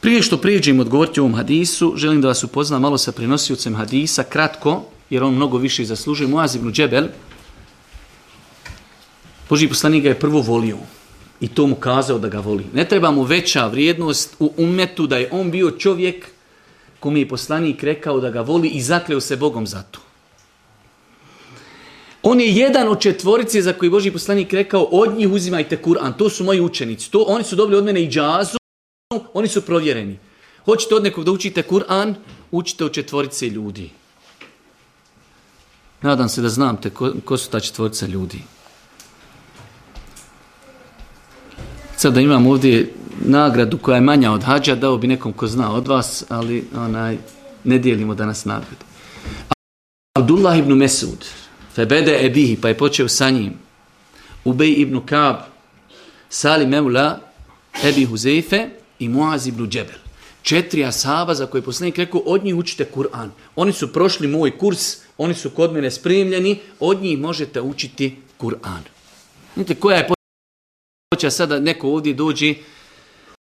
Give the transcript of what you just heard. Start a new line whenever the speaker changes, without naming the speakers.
Prije što prijeđem odgovoriti ovom hadisu, želim da vas upoznam malo sa prenosiocem hadisa, kratko, jer on mnogo više zaslužuje. Muaz ibn Džebel, Božji poslanik ga je prvo volio i to mu kazao da ga voli. Ne treba mu veća vrijednost u ummetu da je on bio čovjek kome je poslanik rekao da ga voli i zakleo se Bogom za to. On je jedan od četvorice za koji Božji poslanik rekao od njih uzimajte Kur'an. To su moji učenici. Oni su dobili od mene iđazu, oni su provjereni. Hoćete od nekog da učite Kur'an, učite od četvorice ljudi. Nadam se da znate ko su ta četvorica ljudi. Sad da imam ovdje nagradu koja je manja od hadža, dao bi nekom ko zna od vas, ali ne dijelimo danas nagradu. Abdullah ibn Mesud, febede ebihi, pa je počeo sa njim. Ubej ibn Kab, Salim Mevla, Ebi Huzeife i Muaz ibn Džebel. 4 ashaba za koje poslanik rekao, od njih učite Kur'an. Oni su prošli moj kurs, oni su kod mene spremljeni, od njih možete učiti Kur'an. Vidite koja je počela sada neko ovdje dođe